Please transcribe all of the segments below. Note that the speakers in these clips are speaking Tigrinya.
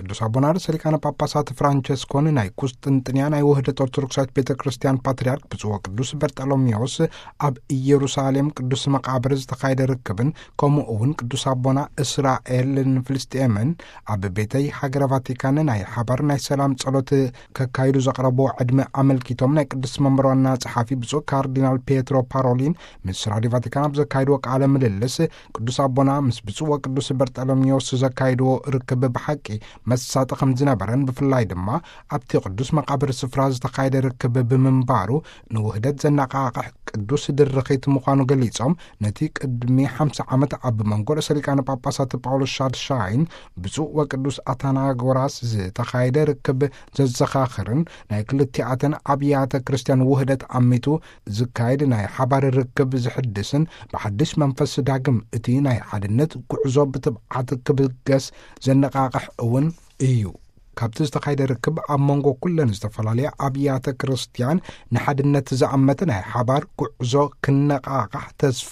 ቅዱስ ኣቦና ርእሰ ሊቃነ ጳጳሳት ፍራንቸስኮን ናይ ቁስጥንጥንያ ናይ ውህደት ኦርቶዶክሳዊት ቤተ ክርስቲያን ፓትርያርክ ብፁዕ ወቅዱስ በርጠሎሜዎስ ኣብ ኢየሩሳሌም ቅዱስ መቃብር ዝተኻየደ ርክብን፣ ከምኡ እውን ቅዱስ ኣቦና እስራኤልን ፍልስጤምን ኣብ ቤተይ ሃገረ ቫቲካን ናይ ሓባር ናይ ሰላም ጸሎት ከካይዱ ዘቕረብዎ ዕድመ ኣመልኪቶም፣ ናይ ቅዱስ መንበር ዋና ጸሓፊ ብፁዕ ካርዲናል ፔትሮ ፓሮሊን ምስ ራዲዮ ቫቲካን ኣብ ዘካይድዎ ቃለ ምልልስ፣ ቅዱስ ኣቦና ምስ ብፁዕ ወቅዱስ በርጠሎሜዎስ ዘካይድዎ ርክብ ብሓቂ መሳጢ ከም ዝነበረን፣ ብፍላይ ድማ ኣብቲ ቅዱስ መቃብር ስፍራ ዝተኻየደ ርክብ ብምንባሩ ንውህደት ዘነቓቕሕ ቅዱስ ድርኺት ምዃኑ ገሊጾም፣ ነቲ ቅድሚ ሓምሳ ዓመት ኣብ መንጎ ርእሰ ሊቃነ ጳጳሳት ጳውሎስ ሻድሻይን ብፁዕ ወቅዱስ ኣታናጎራስ ዝተኻየደ ርክብ ዘዘኻኽርን፣ ናይ ክልቲኣተን ኣብያተ ክርስቲያን ውህደት ኣሚቱ ዝካየድ ናይ ሓባር ርክብ ዝሕድስን፣ ብሓድሽ መንፈስ ዳግም እቲ ናይ ሓድነት ጉዕዞ ብትብዓት ክብገስ ዘነቓቕሕ እውን እዩ። ካብቲ ዝተኻየደ ርክብ ኣብ መንጎ ኩለን ዝተፈላለያ ኣብያተ ክርስቲያን ንሓድነት ዝኣመተ ናይ ሓባር ጉዕዞ ክነቓቓሕ ተስፋ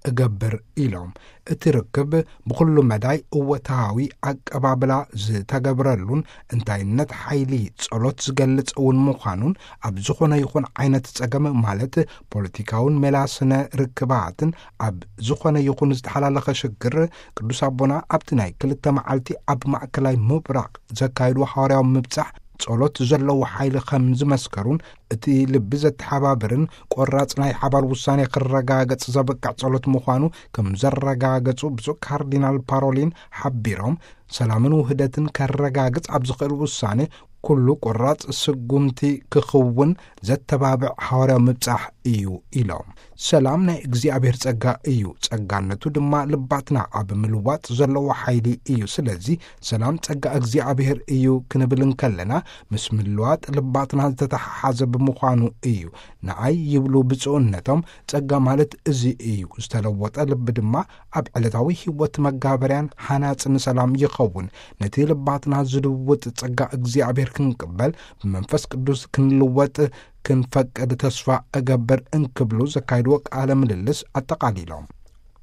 እገብር ኢሎም። እቲ ርክብ ብኹሉ መዳይ እወታዊ ኣቀባብላ ዝተገብረሉን፣ እንታይነት ሓይሊ ጸሎት ዝገልጽ እውን ምዃኑን፣ ኣብ ዝኾነ ይኹን ዓይነት ጸገም ማለት ፖለቲካውን ሜላ ስነ ርክባትን፣ ኣብ ዝኾነ ይኹን ዝተሓላለኸ ሽግር፣ ቅዱስ ኣቦና ኣብቲ ናይ ክልተ መዓልቲ ኣብ ማእከላይ ምብራቕ ዘካየድዎ ሓዋርያዊ ምብጻሕ ጸሎት ዘለዎ ሓይሊ ከም ዝመስከሩን፣ እቲ ልቢ ዘተሓባብርን ቆራጽ ናይ ሓባር ውሳኔ ክረጋገጽ ዘብቅዕ ጸሎት ምዃኑ ከም ዘረጋገጹ ብፁዕ ካርዲናል ፓሮሊን ሓቢሮም፣ ሰላምን ውህደትን ከረጋግጽ ኣብ ዝኽእል ውሳኔ ኩሉ ቆራጽ ስጉምቲ ክኽውን ዘተባብዕ ሓዋርያዊ ምብጻሕ እዩ ኢሎም። ሰላም ናይ እግዚኣብሔር ጸጋ እዩ፣ ጸጋነቱ ድማ ልባትና ኣብ ምልዋጥ ዘለዎ ሓይሊ እዩ። ስለዚ ሰላም ጸጋ እግዚኣብሔር እዩ ክንብል እንከለና፣ ምስ ምልዋጥ ልባትና ዝተተሓሓዘ ብምዃኑ እዩ። ንኣይ ይብሉ ብፁዕነቶም፣ ጸጋ ማለት እዚ እዩ። ዝተለወጠ ልቢ ድማ ኣብ ዕለታዊ ህይወት መጋበርያን ሃናጽን ሰላም ይኸውን። ነቲ ልባትና ዝልውጥ ጸጋ እግዚኣብሔር ክንቅበል፣ ብመንፈስ ቅዱስ ክንልወጥ ክንፈቅድ ተስፋ እገብር እንክብሉ ዘካይድዎ ቃለ ምልልስ ኣጠቓሊሎም።